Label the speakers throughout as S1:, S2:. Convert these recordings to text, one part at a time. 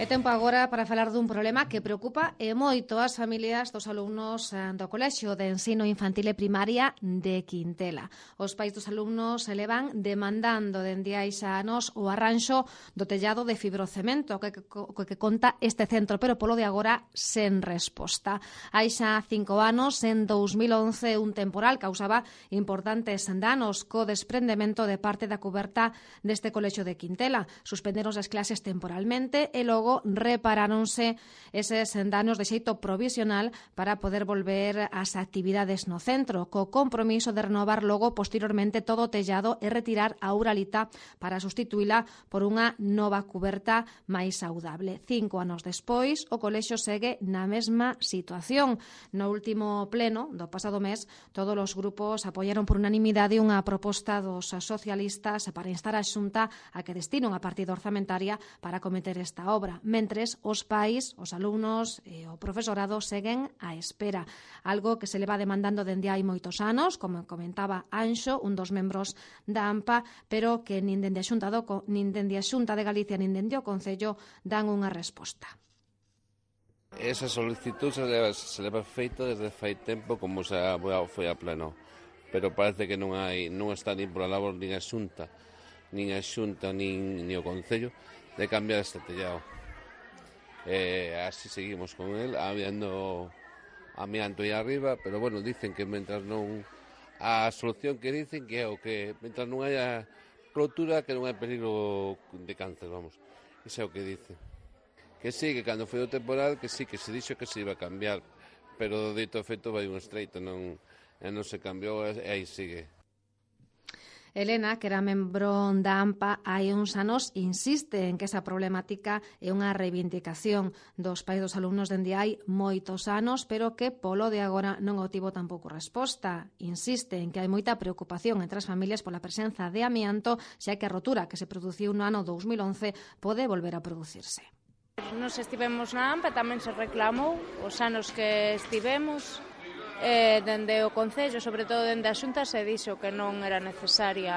S1: É tempo agora para falar dun problema que preocupa e moito as familias dos alumnos do Colexio de Ensino Infantil e Primaria de Quintela. Os pais dos alumnos se levan demandando dende hai xa anos o arranxo do tellado de fibrocemento que conta este centro, pero polo de agora sen resposta. Hai xa 5 anos, en 2011, un temporal causaba importantes danos co desprendemento de parte da cuberta deste Colexio de Quintela. Suspenderon as clases temporalmente e logo reparáronse eses danos de xeito provisional para poder volver ás actividades no centro, co compromiso de renovar logo posteriormente todo o tellado e retirar a uralita para sustituíla por unha nova cuberta máis saudable. 5 anos despois, o colexio segue na mesma situación. No último pleno do pasado mes, todos os grupos apoiaron por unanimidade unha proposta dos socialistas para instar a Xunta a que destine unha partida orzamentaria para acometer esta obra. Mentres, os pais, os alumnos e o profesorado seguen á espera. Algo que se leva demandando dende hai moitos anos, como comentaba Anxo, un dos membros da AMPA, pero que nin dende a Xunta de Galicia nin dende o Concello dan unha resposta.
S2: Esa solicitud se leva feita desde fai tempo como se foi a pleno, pero parece que non está nin pola labor nin a Xunta nin o Concello de cambiar este tellado. Así seguimos con el, habiendo amianto aí arriba, pero bueno, dicen que mentras non a solución que dicen que é o que mentras non haya rotura que non hai peligro de cáncer, vamos. Iso é o que dicen. Que sí, que cando foi o temporal, que sí, que se dixo que se iba a cambiar, pero do dito efecto vai un estreito, non se cambiou e aí sigue.
S1: Elena, que era membro da AMPA hai uns anos, insiste en que esa problemática é unha reivindicación dos pais dos alumnos dende hai moitos anos, pero que polo de agora non obtivo tampouco resposta. Insiste en que hai moita preocupación entre as familias pola presenza de amianto, xa que a rotura que se produciu no ano 2011 pode volver a producirse.
S3: Nos estivemos na AMPA, tamén se reclamou os anos que estivemos, dende o Concello, sobre todo dende a Xunta, se dixo que non era necesario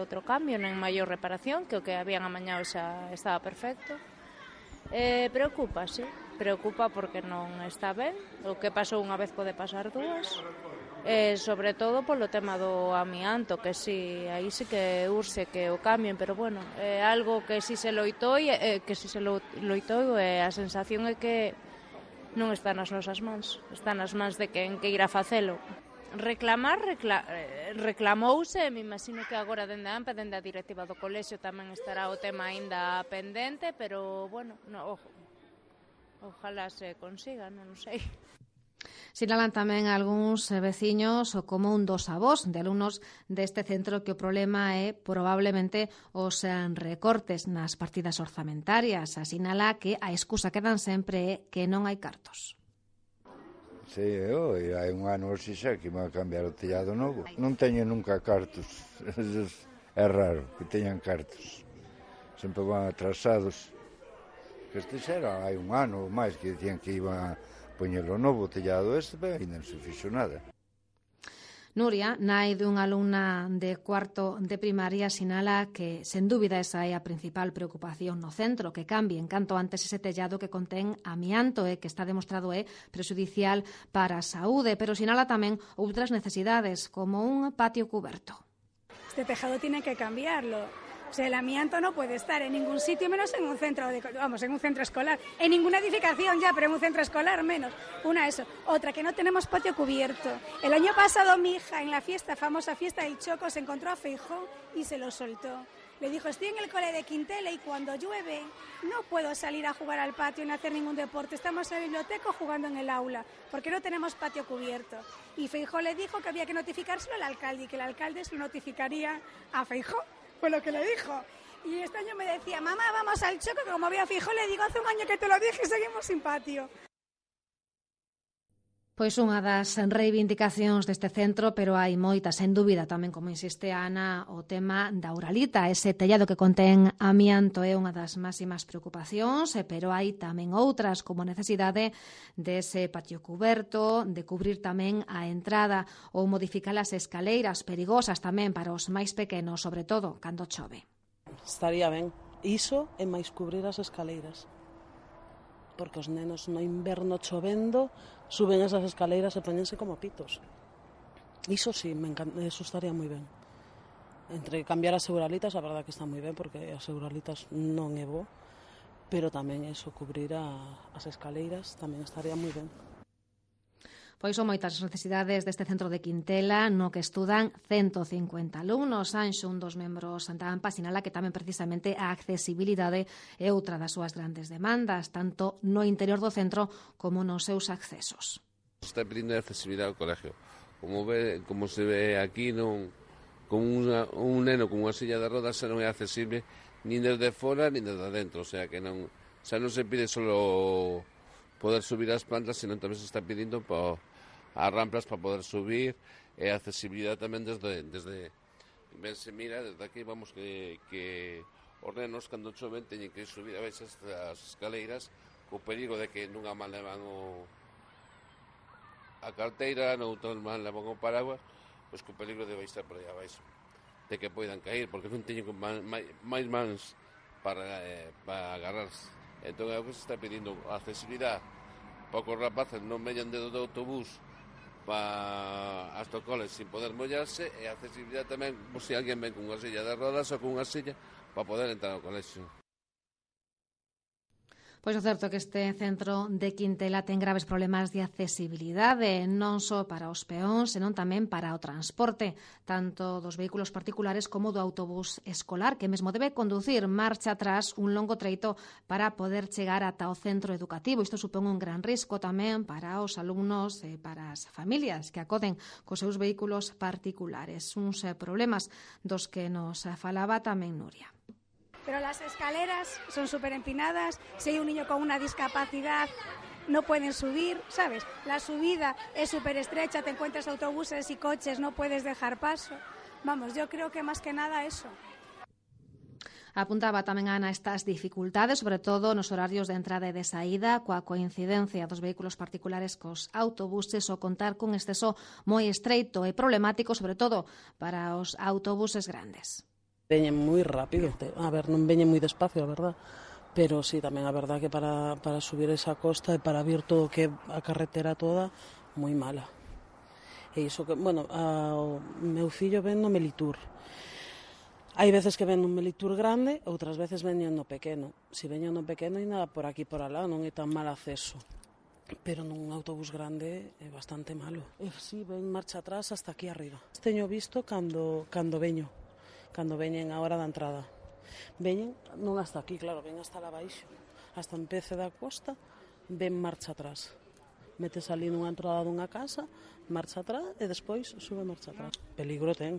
S3: outro cambio, nen maior reparación, que o que habían amañado xa estaba perfecto. Preocupa, sí, preocupa porque non está ben. O que pasou unha vez pode pasar dúas. Sobre todo polo tema do amianto, que sí, aí sí que urxe que o cambien, pero bueno, é algo que si se loitou e a sensación é que non está nas nosas mans, está nas mans de quen queira facelo. Reclamouse, me imagino que agora dende a AMPA, dende a directiva do colexio tamén estará o tema aínda pendente, pero bueno, ojalá se consiga, non sei.
S1: Sinalan tamén algúns veciños como un dos avós de alumnos deste centro que o problema é probablemente os recortes nas partidas orzamentarias. Sinala que a excusa que dan sempre é que non hai cartos.
S4: Sí, hai un ano xa que me va a cambiar o tellado novo. Non teño nunca cartos. É raro que teñan cartos. Sempre van atrasados. Que este xa era hai un ano ou máis que dicían que iban a poñelo novo tellado pero ainda non se fixo nada.
S1: Nuria, nai dunha alumna de cuarto de primaria, sinala que, sen dúbida, esa é a principal preocupación no centro, que cambien canto antes ese tellado que contén amianto e que está demostrado é prexudicial para a saúde, pero sinala tamén outras necesidades, como un patio cuberto.
S5: Este tejado tiene que cambiarlo. O sea, el amianto no puede estar en ningún sitio, menos en un centro en un centro escolar. En ninguna edificación ya, pero en un centro escolar menos. Una, eso. Otra, que no tenemos patio cubierto. El año pasado mi hija, en la famosa fiesta del Choco, se encontró a Feijóo y se lo soltó. Le dijo, estoy en el cole de Quintela y cuando llueve no puedo salir a jugar al patio ni hacer ningún deporte. Estamos en la biblioteca jugando en el aula, porque no tenemos patio cubierto. Y Feijóo le dijo que había que notificárselo al alcalde y que el alcalde se lo notificaría a Feijóo. Fue lo que le dijo. Y este año me decía, mamá, vamos al Choco, que como había Feijóo, le digo, hace un año que te lo dije y seguimos sin patio.
S1: Pois unha das reivindicacións deste centro, pero hai moitas, sen dúbida, tamén como insiste Ana, o tema da uralita, ese tellado que contén amianto é unha das máximas preocupacións, pero hai tamén outras, como a necesidade dese patio cuberto, de cubrir tamén a entrada ou modificar as escaleiras perigosas tamén para os máis pequenos, sobre todo cando chove.
S6: Estaría ben Iso é máis cubrir as escaleiras. Porque os nenos no inverno chovendo suben esas escaleiras e poñense como pitos. Iso sí, eso estaría moi ben. Entre cambiar as seguralitas, a verdad que está moi ben, porque as seguralitas non é bo, pero tamén eso, cubrir as escaleiras, tamén estaría moi ben.
S1: Pois son moitas as necesidades deste centro de Quintela, no que estudan 150 alumnos. Anxo, un dos membros da AMPA, sinala que tamén precisamente a accesibilidade é outra das súas grandes demandas, tanto no interior do centro como nos seus accesos.
S2: Está pedindo accesibilidade ao colegio. Como se ve aquí, con un neno con unha silla de rodas non é accesible nin desde fora nin desde dentro, o sea que non se pide solo poder subir as plantas, sino tamén se está pedindo as ramplas para poder subir, e a accesibilidade tamén desde ben se mira, desde aquí vamos que os nenos cando choven teñen que subir a veces as escaleiras co perigo de que nunha man levan a carteira, noutras man levan o paraguas, pois co perigo de baixar por aí abaixo, de que poidan cair, porque non teñen máis mans para agarrarse. Entón é o que se está pedindo, a accesibilidade para que os rapaces non veñan do autobús hasta o cole sin poder mollarse, e a accesibilidade tamén, se alguén ven con unha silla de rodas ou con unha silla para poder entrar ao colexio.
S1: Pois o certo é que este centro de Quintela ten graves problemas de accesibilidade, non só para os peóns, senón tamén para o transporte, tanto dos vehículos particulares como do autobús escolar, que mesmo debe conducir marcha atrás un longo treito para poder chegar ata o centro educativo. Isto supón un gran risco tamén para os alumnos e para as familias que acoden cos seus vehículos particulares. Uns problemas dos que nos falaba tamén Nuria.
S5: Pero las escaleras son súper empinadas, si hay un niño con una discapacidad no pueden subir, ¿sabes? La subida es súper estrecha, te encuentras autobuses y coches, no puedes dejar paso. Vamos, yo creo que más que nada eso.
S1: Apuntaba tamén Ana estas dificultades, sobre todo nos horarios de entrada e de saída, coa coincidencia dos vehículos particulares cos autobuses, ou contar cun exceso moi estreito e problemático, sobre todo para os autobuses grandes.
S6: Veñen moi rápido, a ver, non veñen moi despacio, a verdad, pero sí, tamén a verdad que para subir esa costa e para vir todo que a carretera toda, moi mala. E iso que, bueno, o meu fillo ven no Melitur. Hai veces que ven no Melitur grande, outras veces veñen no pequeno. Se veñen no pequeno, ainda por aquí por alá, non é tan mal acceso. Pero nun autobús grande é bastante malo. E si, ven marcha atrás hasta aquí arriba. Teño visto cando veñen a hora da entrada. Veñen non hasta aquí, claro, ven hasta lá baixo, hasta en Pece da Costa, ven marcha atrás. Metes ali nunha entrada dunha casa, marcha atrás e despois sube marcha atrás. Peligro ten.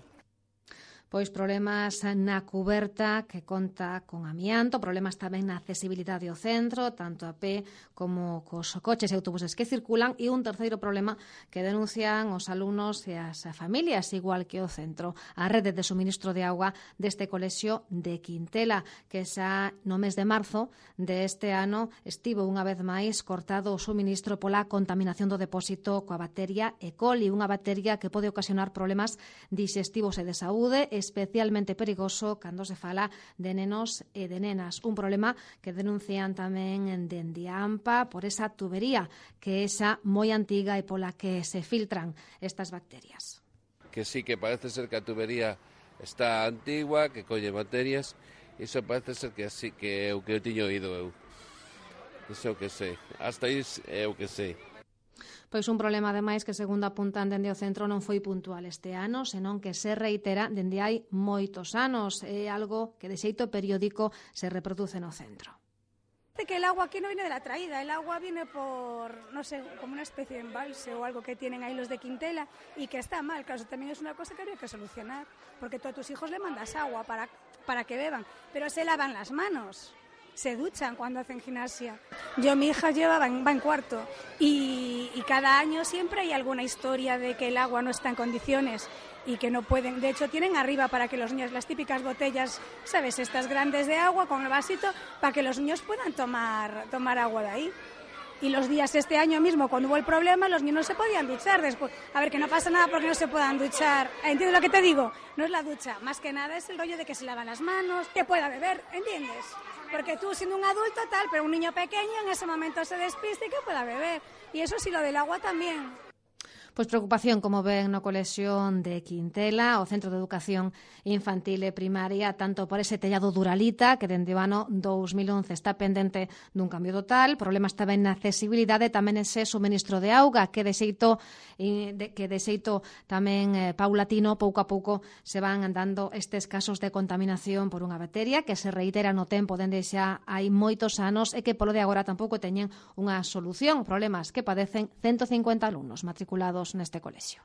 S1: Pois problemas na cuberta que conta con amianto, problemas tamén na accesibilidade ao centro, tanto a pé como cos coches e autobuses que circulan, e un terceiro problema que denuncian os alumnos e as familias, igual que o centro, a rede de suministro de auga deste colexio de Quintela, que xa no mes de marzo deste ano estivo unha vez máis cortado o suministro pola contaminación do depósito coa bacteria E. coli, unha bacteria que pode ocasionar problemas digestivos e de saúde, especialmente perigoso cando se fala de nenos e de nenas. Un problema que denuncian tamén dende a AMPA por esa tubería que é xa moi antiga e pola que se filtran estas bacterias.
S2: Que sí, que parece ser que a tubería está antigua, que colle bacterias, iso parece ser que así, que é o que eu tiño oído eu. Iso é o que sei. Hasta aí é o que sei.
S1: Pois un problema, ademais, que segundo apuntan dende o centro non foi puntual este ano, senón que se reitera dende hai moitos anos. É algo que de xeito periódico se reproduce no centro.
S5: Que el agua aquí no viene de la traída, el agua viene por, no sé, como una especie de embalse o algo que tienen ahí los de Quintela y que está mal. Claro, eso también es una cosa que habría que solucionar, porque tú a tus hijos le mandas agua para que beban, pero se lavan las manos. Se duchan cuando hacen gimnasia. Mi hija va en cuarto y cada año siempre hay alguna historia de que el agua no está en condiciones y que no pueden, de hecho tienen arriba para que los niños, las típicas botellas, ¿sabes? Estas grandes de agua con el vasito para que los niños puedan tomar agua de ahí. Y los días este año mismo, cuando hubo el problema, los niños no se podían duchar después. A ver, que no pasa nada porque no se puedan duchar. ¿Entiendes lo que te digo? No es la ducha, más que nada es el rollo de que se lavan las manos, que pueda beber, ¿entiendes? Porque tú siendo un adulto tal, pero un niño pequeño en ese momento se despiste y que pueda beber. Y eso sí, lo del agua también.
S1: Pois preocupación, como ven, no colexio de Quintela, o Centro de Educación Infantil e Primaria, tanto por ese tellado Duralita, que dende o ano 2011 está pendente dun cambio total, problemas tamén na accesibilidade, tamén ese suministro de auga, que de xeito tamén paulatino, pouco a pouco, se van dando estes casos de contaminación por unha bacteria que se reitera no tempo dende xa hai moitos anos e que polo de agora tampouco teñen unha solución, problemas que padecen 150 alumnos matriculados neste colexio.